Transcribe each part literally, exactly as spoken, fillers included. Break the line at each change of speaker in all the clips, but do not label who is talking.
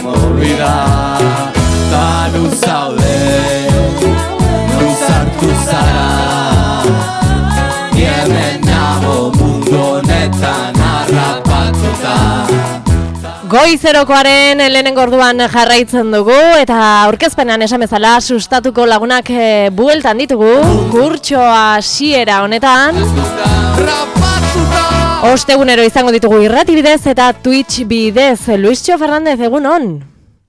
movida. Ta nuzaude, nuzartu zara, hemen nago mundu honetan harrapatuta.
Goizerokoaren lehenengo orduan jarraitzen dugu eta aurkezpenean esan bezala sustatuko lagunak e, bueltan ditugu kurtsoa hasiera honetan. Ostegunero izango ditugu irrati bidez eta Twitch bidez. Luistxo Fernandez, egunon?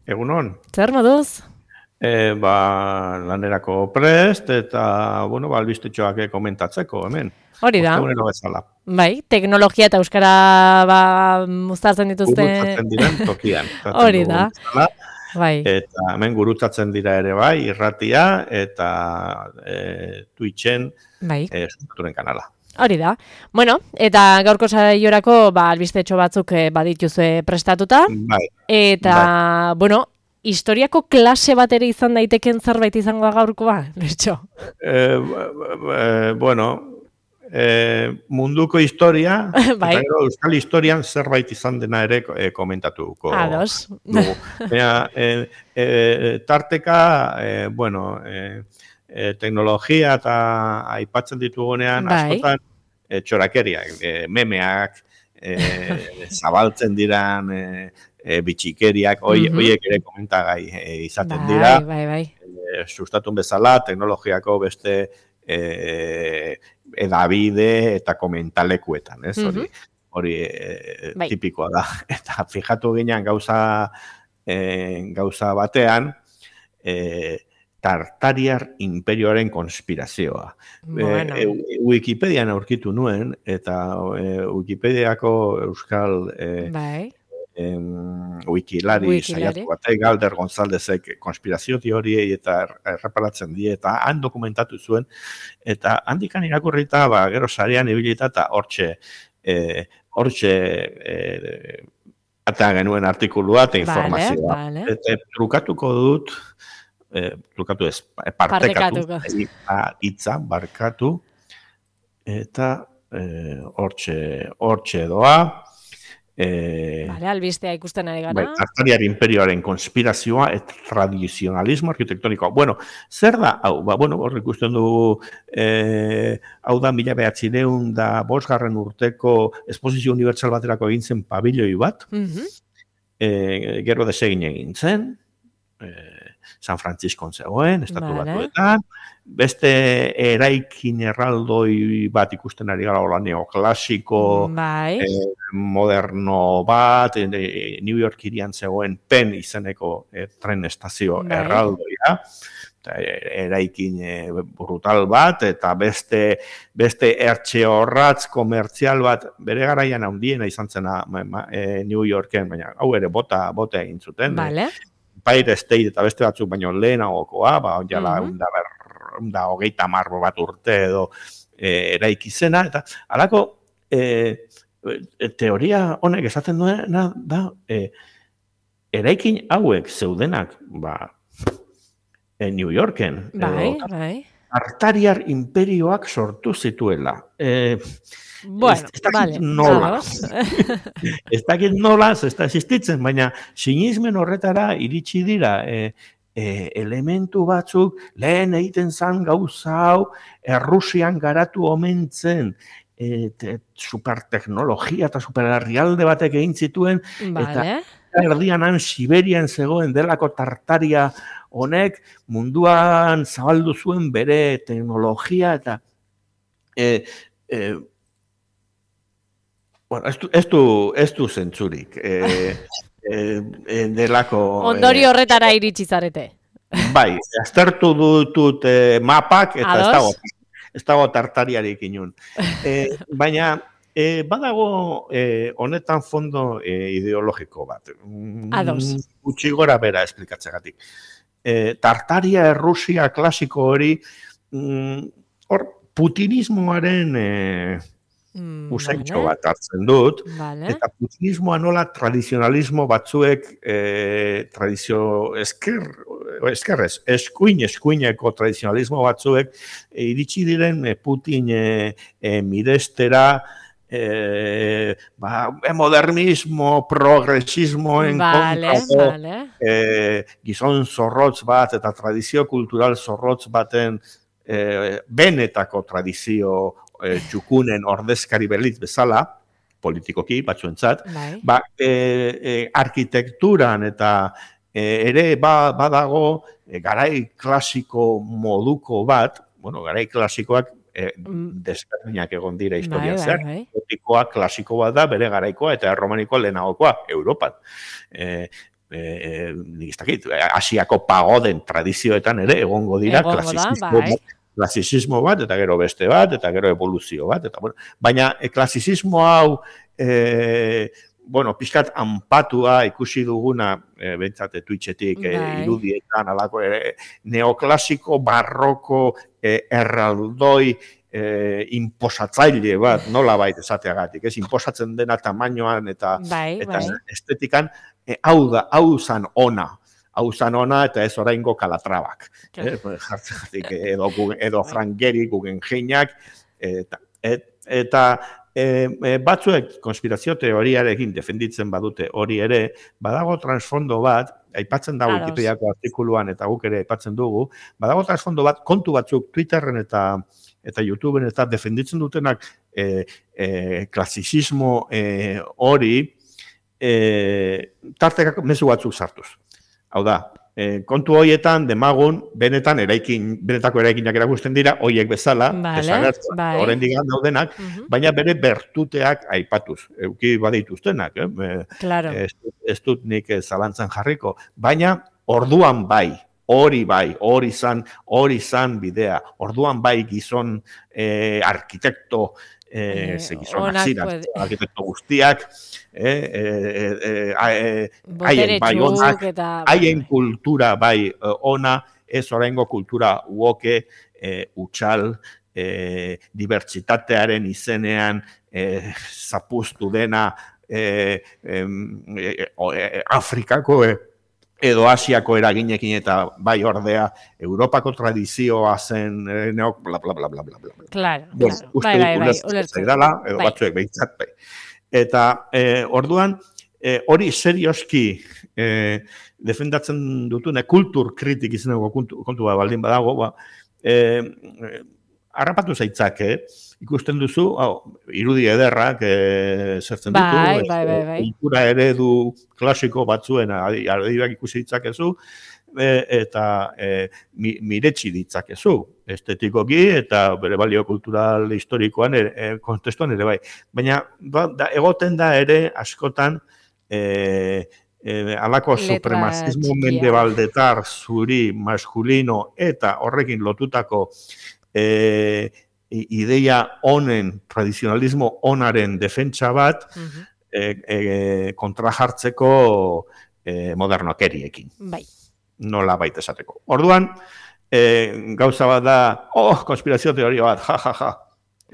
Egunon.
Zer moduz?
E, ba, lanerako prest eta, bueno, ba, albistetxoak komentatzeko, hemen.
Hori da.
Ostegunero bezala.
Bai, teknologia eta euskara ba, uztartzen dituzte.
Gurutzatzen diren tokian.
Hori da.
Bezala.
Bai.
Eta hemen gurutzatzen dira ere bai, irratia eta e, Twitchen
bai.
e, sustaturen kanala.
Hori da. Bueno, eta gaurko saiorako ba, albistetxo batzuk e, badituzue prestatuta.
Bai.
Eta,
bai.
bueno, historiako klase bat ere izan daiteken zerbait izango gaurkoa, Luistxo?
E, e, bueno, e, munduko historia,
bai.
eta gero euskal historian zerbait izan dena ere e, komentatuko.
Ados.
Dugu. Baina, e, e, tarteka, e, bueno, e, e, teknologia eta aipatzen ditugunean,
bai.
askotan, e, txorakeriak, e, memeak, e, zabaltzen diran, e, e, bitxikeriak, hoi, mm-hmm. hoiek ere komentagai e, izaten
bai,
dira.
Bai, bai,
e, sustatun bezala, teknologiako beste e, edabide eta komentalekuetan, ez? Hori, mm-hmm. hori e, bai. Tipikoa da. Eta fijatu ginean gauza, e, gauza batean, e, Tartariar imperioaren konspirazioa.
Bueno.
E, e, Wikipedian aurkitu nuen, eta e, Wikipediako euskal e,
bai.
em, wikilari,
Wikilari.
saiatu batek, Galder Gonzaldezek konspirazio teoriei eta erreparatzen die, eta han dokumentatu zuen, eta handikan irakurrita, ba, gero sarean ibilita, eta hortxe, e, hortxe, e, eta genuen artikulua eta informazioa.
Vale, vale.
Eta trukatuko dut, E, trukatu ez, partekatu, hitza, barkatu, eta hortxe, e, hortxe doa. E,
vale, albistea ikusten ari gara.
Bai, Tartariar imperioaren konspirazioa eta tradizionalismo arkitektonikoa. Bueno, zer da, hau, ba, bueno, hor ikusten dugu, e, hau da mila behatzireun da bosgarren urteko esposizio unibertsal baterako egin zen pabilloi bat, mm-hmm. e, gero desegin egin zen, e, San Francisco zegoen, estatu vale. Batuetan, beste eraikin erraldoi bat ikusten ari gara hola neoklasiko,
bai.
eh, moderno bat, eh, New York irian zegoen Penn izeneko eh, tren estazio bai. Erraldoia, eta, eraikin eh, brutal bat, eta beste, beste ertxe horratz komertzial bat, bere garaian handiena izan zena eh, New Yorken, baina hau ere bota, bota egin zuten.
Vale.
Eh, Empire State eta beste batzuk baino lehenagokoa, ba, onjala, mm-hmm. unda, ber, unda hogeita marro bat urte edo e, eraiki zena, eta halako e, teoria honek esaten duena da, e, eraikin hauek zeudenak, ba, e, New Yorken,
bai,
edo,
bai.
Tartariar imperioak sortu zituela. E,
Bueno,
ez, ez
vale.
nola. Ez dakit nola, ez da existitzen, baina sinismen horretara iritsi dira e, e, elementu batzuk lehen egiten zan gauza hau Errusian garatu omentzen e, te, superteknologia eta superherrialde batek egin zituen
vale.
Eta erdian han Siberian zegoen delako Tartaria honek munduan zabaldu zuen bere teknologia eta e, e, bueno, ez du, ez du, ez du zentzurik. E, e, delako...
Ondori horretara iritsi zarete.
Bai, aztertu dutut e, mapak, eta ez dago, ez dago Tartariarik inun. E, baina, e, badago e, honetan fondo e, ideologiko bat.
Ados.
Gutxi gora bera esplikatzegatik. E, Tartaria Errusia klasiko hori, mm, hor, putinismoaren... E,
Mm,
usaintxo
vale.
bat hartzen dut,
vale.
Eta putinismoa nola tradizionalismo batzuek e, tradizio esker, eskerrez, eskuin, eskuineko tradizionalismo batzuek e, iritsi diren e, Putin e, e, mirestera e, ba, modernismo, progresismoen
Vale,
kontrako
vale.
e, gizon zorrotz bat eta tradizio kultural zorrotz baten e, benetako tradizio e, txukunen ordezkari belit bezala, politikoki batzuentzat,
Bai.
ba, e, e, arkitekturan eta e, ere ba, badago e, garai klasiko moduko bat, bueno, garai klasikoak e, desberdinak egon dira historian
bai,
zehar.
bai, bai.
Gotikoa klasiko bat da, bere garaikoa, eta erromanikoa lehenagokoa, Europan. E, e, nik ez dakit, Asiako pagoden tradizioetan ere egongo dira
Egongo da,
klasizismo,
bai.
klasizismo bat, eta gero beste bat, eta gero evoluzio bat, eta bueno, baina e, klasizismo hau e, bueno, pixkat anpatua ikusi duguna, e, bentsate Twitchetik, e,
Bai.
irudietan, alako, e, neoklasiko, barroko, e, erraldoi, e, inposatzaile bat, nola bait esateagatik, ez, inposatzen dena tamainoan eta,
Bai,
eta
bai.
estetikan, e, hau da, hau zan ona, hau zan ona eta ez oraingo kalatrabak. Eh, jartzegatik, edo, edo Frank Gehry, Guggenheimak, eta, et, eta e, e, batzuek konspirazio teoriarekin defenditzen badute hori ere, badago transfondo bat, aipatzen da Wikipediako artikuluan eta guk ere aipatzen dugu, badago transfondo bat, kontu batzuk Twitterren eta eta YouTubeen eta defenditzen dutenak e, e, klasizismo e, hori e, tartekako mezu batzuk sartuz. Hau da, e, kontu horietan demagun benetan eraikin, benetako eraikinak erakusten dira, hoiek bezala,
Vale,
desagertzen,
bai.
oraindik daudenak,
Mhm.
baina bere bertuteak aipatuz, euki badituztenak, eh? E,
Claro.
ez, ez dut nik eh, zalantzan jarriko, baina orduan bai, hori bai, hori zan, hori zan bidea, orduan bai gizon eh, arkitekto, eh,
Eh,
ze gizon
onak
ziren,
puede-
arkitekto guztiak, eh, eh, eh, eh,
Botere
haien bai
txuk
onak,
eta...
haien kultura bai eh, ona, ez oraingo kultura uoke, eh, utxal, eh, dibertsitatearen izenean eh, zapuztu dena eh, em, eh, o, eh, Afrikako eh, edo Asiako eraginekin eta bai ordea Europako tradizioa zen eh, neok, bla, bla, bla, bla, bla, bla.
Claro,
Bueno,
claro.
uste
Bai,
dut
bai, bai,
ulertzen
ulertzen.
zaidala, edo
Bai.
batzuek behintzat bai. Eta eh, orduan, eh, hori serioski eh, defendatzen dutune kultur kritik izeneko kontu, kontua baldin badago, ba, eh, eh, harrapatu zaitzake, ikusten duzu, hau, irudi ederrak eh, zertzen ditu,
Bai,
eh,
bai, bai, bai.
kultura eredu klasiko batzuen adi- adibak ikusi ditzakezu, e, eta e, mi, miretsi ditzakezu, estetikoki eta bere balio kultural historikoan, ere, e, kontestuan ere bai. Baina ba, da, egoten da ere askotan e, e, alako
Letra
supremazismo
txikia.
mendebaldetar zuri maskulino eta horrekin lotutako e, i- ideia honen, tradizionalismo onaren defentsa bat,
Mhm.
e, e, kontra jartzeko e, modernokeriekin,
Bai.
nola baita esateko. Orduan, e, gauza bat da, oh, konspirazio teoria bat, ja, ja, ja.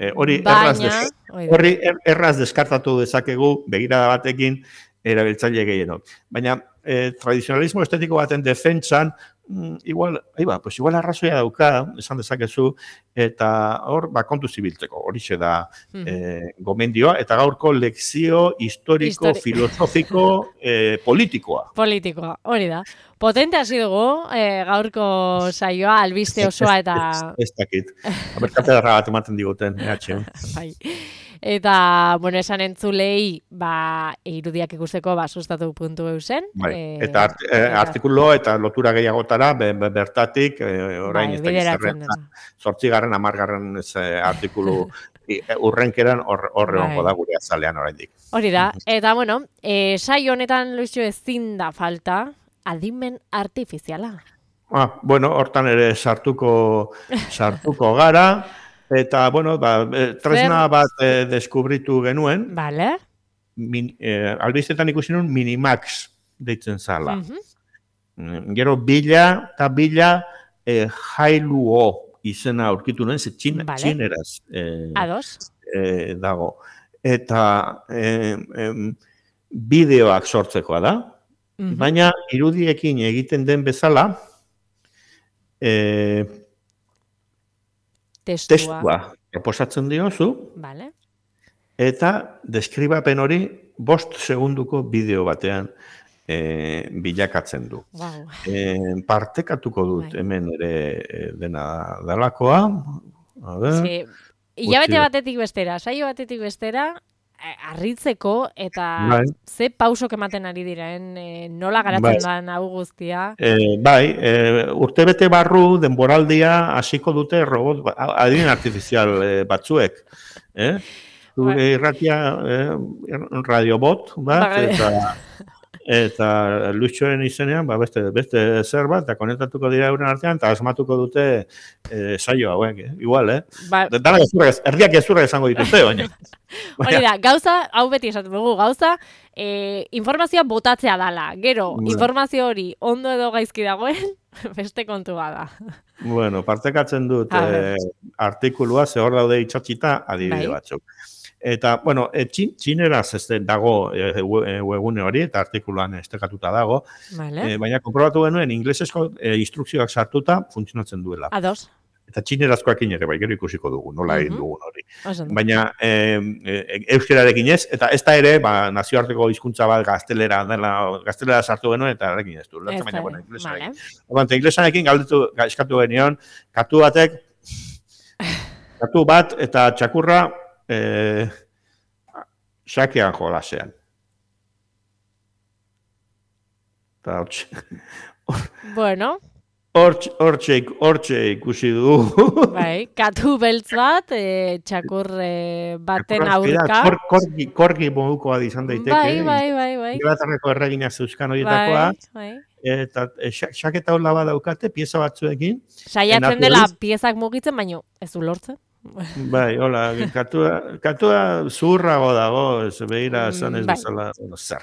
E, hori erraz,
Baina,
des,
hori da.
horri er- erraz deskartatu dezakegu begirada batekin erabiltzaile gehienok. Baina e, tradizionalismo estetiko baten defentsan, mm, igual, aiba, pues igual arrazoia dauka, esan dezakezu, eta hor, ba, kontu zibiltzeko, horixe da
Mhm.
e, gomendioa, eta gaurko lekzio historiko,
Histori-
filosofiko, e, politikoa.
Politikoa, hori da. Potente hasi dugu, eh, gaurko saioa, albiste osoa eta...
Ez, ez dakit. Aberkate bat ematen diguten, E H.
Bai. Eta, bueno, esan entzulei, ba, irudiak ikusteko, ba, sustatu puntu eusen.
Bai.
eh,
Eta art, e, artikulo eta lotura gehiagotara, be, be, bertatik, e, orain
bai,
ez dakit
bideratzen
zerren,
dena.
zortzigarren, amargarren ez, e, artikulu i- e, urrenkeran hor, horre
Bai.
honko da gure azalean oraindik.
Hori da, eta bueno, e, saio honetan Luisio ezin da falta, adimen artifiziala.
Ah, bueno, hortan ere sartuko sartuko gara, eta, bueno, ba, e, tresna
Zer?
bat e, deskubritu genuen,
Vale?
min, e, albistetan ikusi nuen Minimax deitzen zala.
Mhm.
Mm, Gero bila eta bila e, jailuo izena aurkitu nuen, ze txin,
Vale.
txineraz e,
Ados?
e, dago. Eta e, em, bideoak sortzekoa da,
Mhm.
baina irudiekin egiten den bezala, e,
Testua.
testua proposatzen diozu,
Vale?
eta deskribapen hori bost segunduko bideo batean e, bilakatzen du.
Wow.
E, partekatuko dut
Bai.
hemen ere e, dena dalakoa. A ber,
Sí. Hilabete
utzi-
batetik bestera, saio batetik bestera, eh, harritzeko eta
Bai.
ze pausok ematen ari diren, eh, nola garatzen
Bai.
da hau guztia.
E, bai, e, urtebete barru denboraldia hasiko dute robot, ba- adin artifizial e, batzuek. Eh? Zure
Bai.
irratia eh, radiobot bat,
Bai.
eta eta Luxoren izenean, ba, beste, beste zer bat, eta konektatuko dira euren artean, eta asmatuko dute eh, saio hauek, eh? Igual, eh?
Ba,
Dana gezurra, erdiak gezurra esango dituzte, baina.
hori da, gauza, hau beti esaten dugu, gauza, eh, informazioa botatzea dala. Gero,
Bai.
informazio hori ondo edo gaizki dagoen, beste kontu bada.
Bueno, partekatzen dut
A ber.
eh, artikulua, ze hor daude itxatxita adibide
Bai.
batzuk. Eta, bueno, e, txin, txineraz ez dago e, we- webgune hori, eta artikuluan estekatuta dago,
Vale.
e, baina konprobatu genuen inglesezko e, instrukzioak sartuta funtzionatzen duela.
Ados.
Eta txinerazkoakin ere, bai, gero ikusiko dugu, nola egin
Mhm.
dugun hori.
Oso ondo.
Baina e, e, euskerarekin ez, eta ez da ere, ba, nazioarteko hizkuntza bat gaztelera dela, gaztelera sartu genuen, eta erekin ez du.
Ez
Lertzen, baina,
da,
bueno, inglesarekin.
vale.
Orduan, inglesarekin galdetu, ga- eskatu genion, katu batek, katu bat eta txakurra eh, sakean jolasean. Eta hortxe,
Bueno,
hortxe, hortxe, hortxe ikusi du.
bai, katu beltz bat, eh, txakur eh, baten aurka.
Kor, korgi, korgi modukoa izan daiteke.
Bai, bai, bai, bai.
Inglaterrako erreginak zeuzkan horietakoa.
Bai, bai.
Eta e, xa- xaketa hola badaukate, pieza batzuekin.
Saiatzen
Enatu
dela
duz?
piezak mugitzen, baino ez du lortzen.
Bai, hola, katua, katua zurrago dago, ez behira
Mm,
esan ez
bai.
bezala, bueno, zer.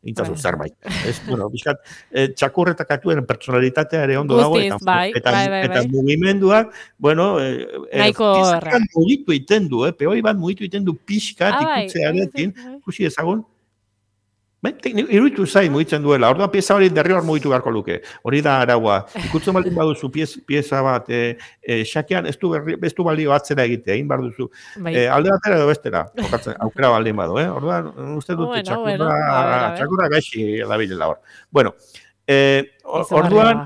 Intzazu
Bai.
zerbait. Ez, bueno, bizkat, e, txakur eta katuen personalitatea ere ondo dago,
Guztiz,
eta,
bai,
eta,
bai, bai,
eta
bai.
mugimenduak, bueno, e, e,
Nahiko
piezak
erra.
mugitu iten du, eh? Peoi bat mugitu iten du pixkat
Ah, bai,
ikutzearekin,
bai, bai.
ikusi ezagun, bai, tekni- iruditu zait mugitzen duela, orduan pieza hori derrigor mugitu beharko luke, hori da araua. Ikutzen baldin baduzu piez, pieza bat, e, e, xakean ez du, berri, ez du balio atzera egitea, egin behar duzu.
Bai.
E, alde batera edo bestera, jokatzen, aukera baldin badu, eh? Orduan, uste dut
Bueno,
txakurra,
bueno, a ver, a ver.
txakurra gaixi dabilela hor. Bueno, eh, o-
Izugarria.
orduan,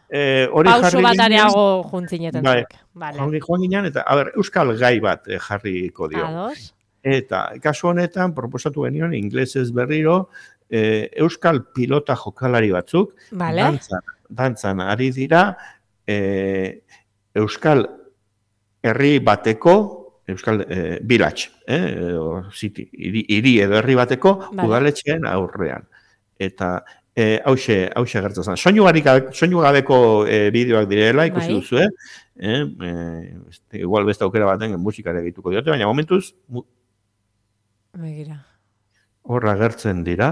eh, hori
Pauso
jarri
bat
ginen,
areago juntzineten
Bai.
zuek. Vale.
joan, joan ginen, eta, a ber, euskal gai bat eh, jarriko dio.
Ados.
Eta, kasu honetan, proposatu genion, inglesez berriro, eh, euskal pilota jokalari batzuk,
Vale.
dantzan, dantzan ari dira, eh, euskal herri bateko, euskal eh, village, eh, edo city, hiri, hiri edo herri bateko
Vale.
udaletxeen aurrean. Eta eh, hause, hause gertatzen. Soinu, garik- soinu gabeko eh, bideoak direla, ikusi
Bai.
duzu, eh? Eh, eh, este, igual beste aukera baten musikare egituko diote, baina momentuz mu-
Begira.
horra gertzen dira,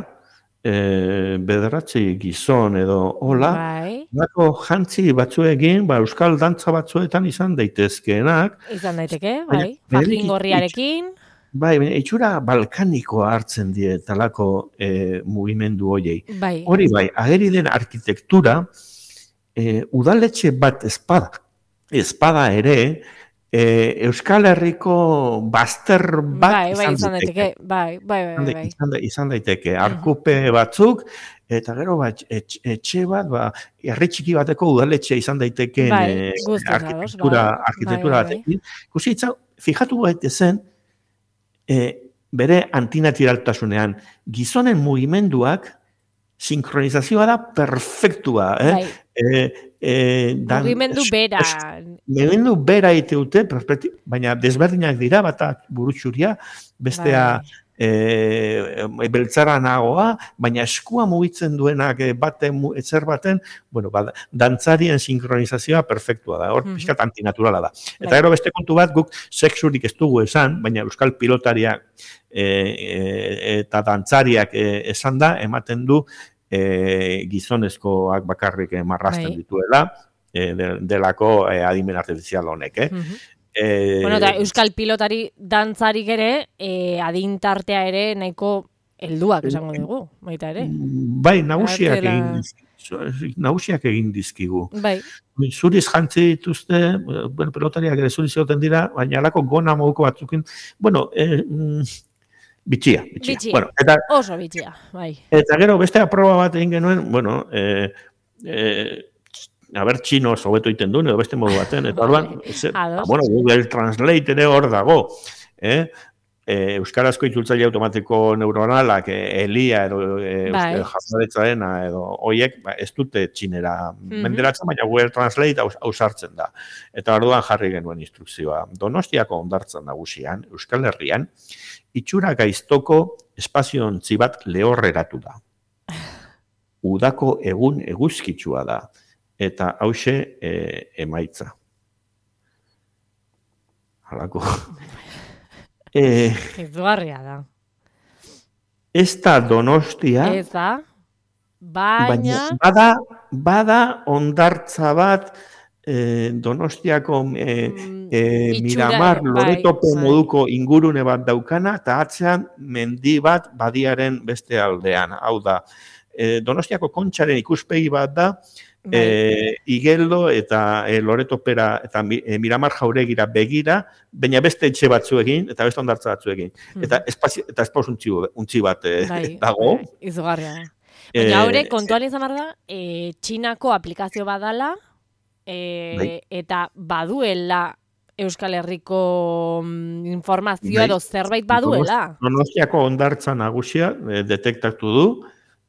e, bederatzi gizon edo hola,
Bai.
Nako jantzi batzuekin, ba, euskal dantza batzuetan izan daitezkeenak,
Izan daiteke,
Baina,
bai.
berriki-
Fajín gorriarekin.
bai, baina itxura balkanikoa hartzen die talako e, mugimendu hoiei.
Bai.
Hori bai, ageri den arkitektura, e, udaletxe bat espada, espada ere, e, Euskal Herriko bazter bat
Bai, bai, izan
daiteke.
daiteke. Bai, bai, bai,
Izan
bai.
da-
bai.
izan, da- izan daiteke, arkupe batzuk, eta gero bat, etxe, etxe bat, ba, herri txiki bateko udaletxe izan daiteken
Bai,
eh,
guztiz ados,
arkitektura,
bai.
arkitektura
Bai, bai, bai.
batekin. Ikusi itza, fijatu gaitezen, eh, bere antinaturaltasunean, gizonen mugimenduak, sinkronizazioa da perfektua, eh?
Bai.
Eh, eh, dan-
Mugimendu
es-
bera.
es- Mugimendu bera iteute, perspekti- baina desberdinak dira, batak burutxuria, bestea
Bai.
e, beltzara nagoa, baina eskua mugitzen duenak e, baten, mu- etzer baten, bueno, ba, dantzarien sinkronizazioa perfektua da, hor
Mhm.
pixkat antinaturala da. Eta
Bai.
gero beste kontu bat, guk sexurik ez dugu esan, baina euskal pilotariak e, e, eta dantzariak e, esan da, ematen du e, gizonezkoak bakarrik e, marrazten
Bai.
dituela, e, de, delako e, adimen artifizial honek, eh?
Mhm.
E,
Bueno, eta euskal pilotari dantzarik ere, eh, adintartea ere nahiko helduak esango dugu, baita ere.
Bai, nagusiak
Atera-
egin dizkigu. Nagusiak egin dizkigu.
Bai,
Zuriz jantzi dituzte, bueno, pelotariak ere zuriz egoten dira, baina alako gona moduko batzukin. Bueno, eh, mm, bitxia, bitxia.
Bitxia.
Bueno, eta,
Oso bitxia, bai.
eta gero beste aproba bat egin genuen, bueno, eh, eh, aber txino hobeto iten duen, edo beste modu baten, eta orduan,
Ados.
ba, bueno, Google Translate ere hor dago, eh? E, euskarazko itzultzaile automatiko neuronalak, e, Elia edo e,
Bai.
jazaretzarena edo hoiek ba, ez dute txinera
Mhm.
menderatzen, baina Google Translate aus- ausartzen da. Eta orduan jarri genuen instrukzioa. Donostiako hondartzan nagusian, Euskal Herrian, itxura gaiztoko espaziontzi bat lehorreratu da. Udako egun eguzkitsua da. Eta hauxe e, emaitza. Halako. Eh,
Izugarria da.
ez da Donostia,
Ez da,
baina
baina...
bada, bada hondartza bat eh, Donostiako eh,
Mm,
eh,
itxura,
Miramar
bai,
Loretope
bai.
moduko ingurune bat daukana, eta atzean mendi bat badiaren beste aldean. Hau da, eh, Donostiako Kontxaren ikuspegi bat da,
Bai.
E, Igeldo eta e, Loretopera eta mi, e, Miramar Jauregira begira, baina beste etxe batzuekin eta beste hondartza batzuekin. Eta espazio eta espauz untzi, untzi bat e,
Bai,
dago.
bai, izugarria da.
Eh,
Baina haure, kontuan izan behar da, e, Txinako aplikazio badala, e,
Bai.
eta baduela Euskal Herriko mm, informazioa
Bai.
edo zerbait baduela.
Donostiako hondartza nagusia e, detektatu du,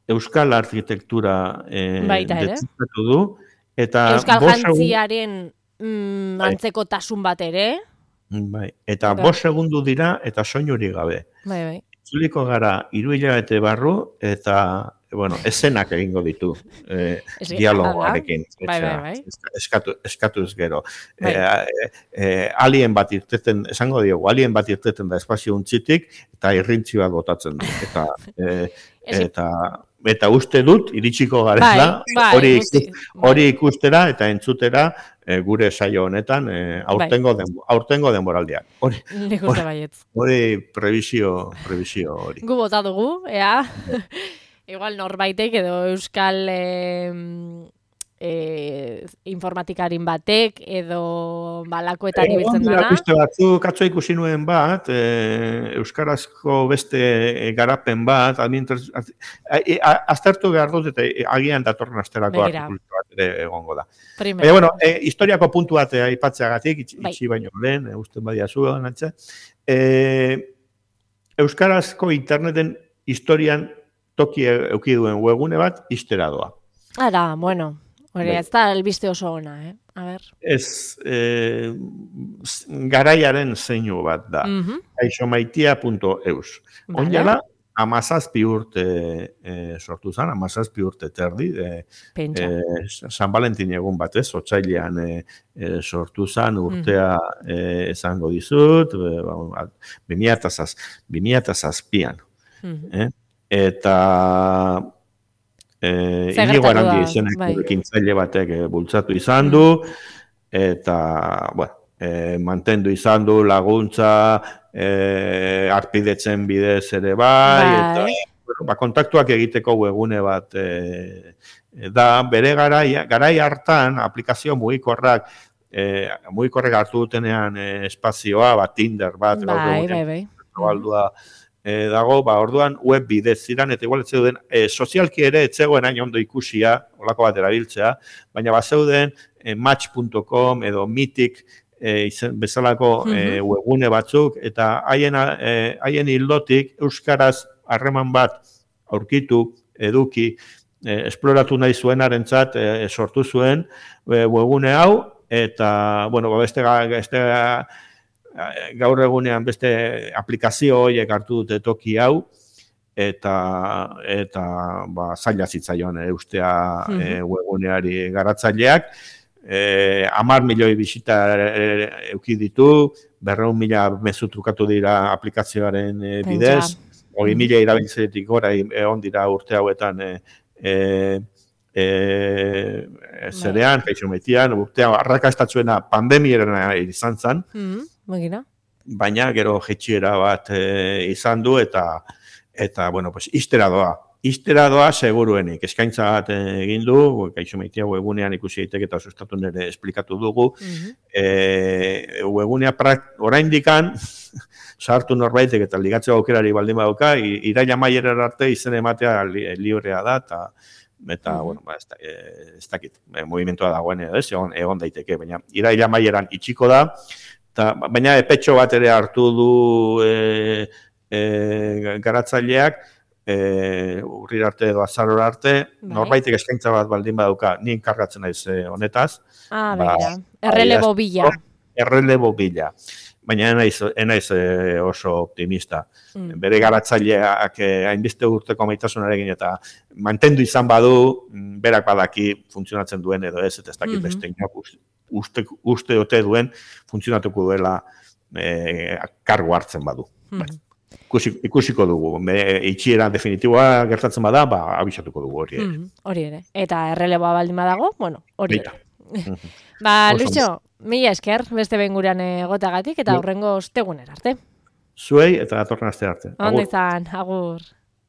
Euskal arkitektura e,
Baita ere.
detektatu du, eta
Euskal
bost segun-
jantziaren mm,
Bai.
antzeko tasun bat ere.
bai, eta
Bai.
bost segundu dira eta soinurik gabe.
Bai, bai.
Itzuliko gara hiru hilabete barru eta bueno, esenak egingo ditu eh,
Ez-
dialogoarekin.
Bai, bai, bai.
Eska- Eskatu, eskatuz gero.
Bai.
Eh, eh, alien bat irteten, esango diogu, alien bat irteten da espazio untzitik eta irrintzi bat botatzen du. Eta, eh,
Ez-
eta, eta uste dut, iritsiko garela,
Bai, bai,
hori,
guzti-
ikus- hori ikustera eta entzutera eh, gure saio honetan eh, aurtengo, denbo, aurtengo denboraldian. Hori,
Nik uste baietz.
hori prebizio, prebizio hori.
Gu bota dugu, ea. Igual norbaitek edo euskal e, e, informatikarin batek edo balakoetan
Egon
ibiltzen
dira
dana.
beste batzuk, atzo ikusi nuen bat, e, euskarazko beste e, garapen bat, administraz- az- e, a- aztertu behar dut eta e, agian datorren asterako
Begira.
artikulu bat ere egongo da.
Primero.
Baina, bueno, e, historiako puntu bat e, aipatzeagatik, itxi,
Bai.
itxi baino lehen, e, usten badia zuen, antza. E, euskarazko interneten historian toki euki duen webgune bat, ixtera doa.
Ara, bueno, hori
Bai.
ez da albiste oso ona, eh? A ber.
Ez, e, garaiaren zeinu bat da.
Mhm.
aixomaitia punto eus.
Vale.
Onjala, amazazpi urte e, sortu zen, amazazpi urte terdi, e,
Pentsa.
e, San Valentin egun batez, otsailean e, e, sortu zen urtea e, esango dizut, e, ba, bi mila zazpian.
Mhm.
Eh? Eta eh,
Zer
Inigo
gertatu
Arandi
da,
izeneko
bai.
ekintzaile batek eh, bultzatu izan du, eta, bueno, eh, mantendu izan du laguntza, eh, arpidetzen bidez ere bai,
Bai.
eta bueno, ba, kontaktuak egiteko webgune bat eh, da, bere garai, garai hartan aplikazio mugikorrak, eh, mugikorrek hartu dutenean eh, espazioa, bat Tinder bat, gaur
Bai,
egunean
bai, bai.
zabaldua e, dago, ba, orduan web bidez ziren, eta igual etzeuden, e, sozialki ere etzegoen hain ondo ikusia, olako bat erabiltzea, baina bat zeuden e, match punto com edo Mythic e, izen, bezalako e, webgune batzuk, eta haien, e, haien hildotik euskaraz harreman bat aurkitu, eduki, e, esploratu nahi zuenarentzat e, sortu zuen e, webgune hau, eta, bueno, ba, beste, beste gaur egunean beste aplikazio horiek hartu dute toki hau, eta eta ba, zaila zitzaion eustea
Mhm.
e, webguneari garatzaileak, e, hamar milioi bisita e, euki ditu, berrehun mila mezu trukatu dira aplikazioaren e, bidez, hogei mila erabiltzailetik gora egon dira urte hauetan e, e, e, zerean, kaixometian, urtea arrakastatzuena pandemiera izan zen,
Mhm. Magina.
baina gero jetxiera bat e, izan du eta eta bueno, pues ixtera doa. Ixtera doa seguruenik. Eskaintza bat egin du, kaixomeitia webunean ikusi daiteke eta sustatu nere esplikatu dugu.
Mhm.
E, webunea oraindikan sartu norbaitek eta ligatzeko aukerari baldin badauka, i- iraila maierar arte izen ematea li, librea da, eta eta,
Mhm.
bueno, ba, ez, da, e, ez dakit, e, movimentua dagoen edo ez, egon, egon daiteke, baina iraila maieran itxiko da, eta, baina epetxo bat ere hartu du e, e, garatzaileak, e, urrir arte edo azarora arte,
Bai.
norbaitek eskaintza bat baldin badauka, ni enkargatzen naiz e, honetaz,
Ah,
ba,
begira. Errelebo bila.
errelebo bila. Baina enaiz, enaiz e, oso optimista.
Mm.
Bere garatzaileak eh, hainbeste urteko maitasunarekin eta mantendu izan badu, mm, berak badaki funtzionatzen duen edo ez, eta ez dakit
Mhm.
beste inak uste, uste, uste ote duen funtzionatuko duela e, kargu hartzen badu.
Mhm.
Ikusi, ikusiko dugu, Me, itxiera definitiboa gertatzen bada, ba, abisatuko dugu hori ere.
Mhm. Hori ere. Eta erreleboa baldin badago, bueno, hori
Baita.
ere. Ba,
Oso
Luixo, mila esker, beste behin gurean egotagatik, eta
Bai.
hurrengo ostegunera arte.
Zuei eta datorren aste arte.
Ondo
Agur.
izan, agur.